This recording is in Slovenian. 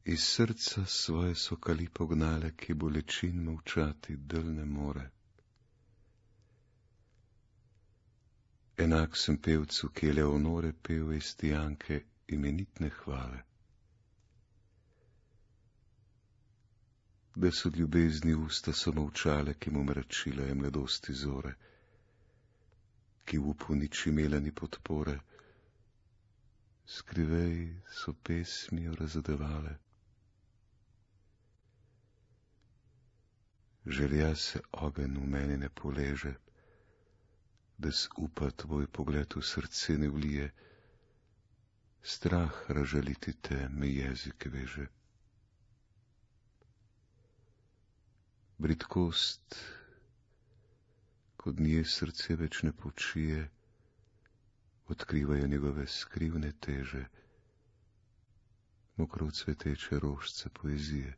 Iz srca svoje so kali pognale, ki bolečin molčati del ne more. Enak sem pevcu, ki je Leonore pel iz Tijanke imenitne hvale. Da so ljubezni usta so molčale, ki mu mračila je mladosti zore, ki v upu nič imela ni podpore, skrivej so pesmijo razadevale. Želja se ogenj v meni ne poleže, da z upa tvoj pogled v srce ne vlije, strah razžaliti te me jezik veže. Bridkost, kod nje srce več ne počije, odkrivajo njegove skrivne teže, mokro cveteče rožce poezije.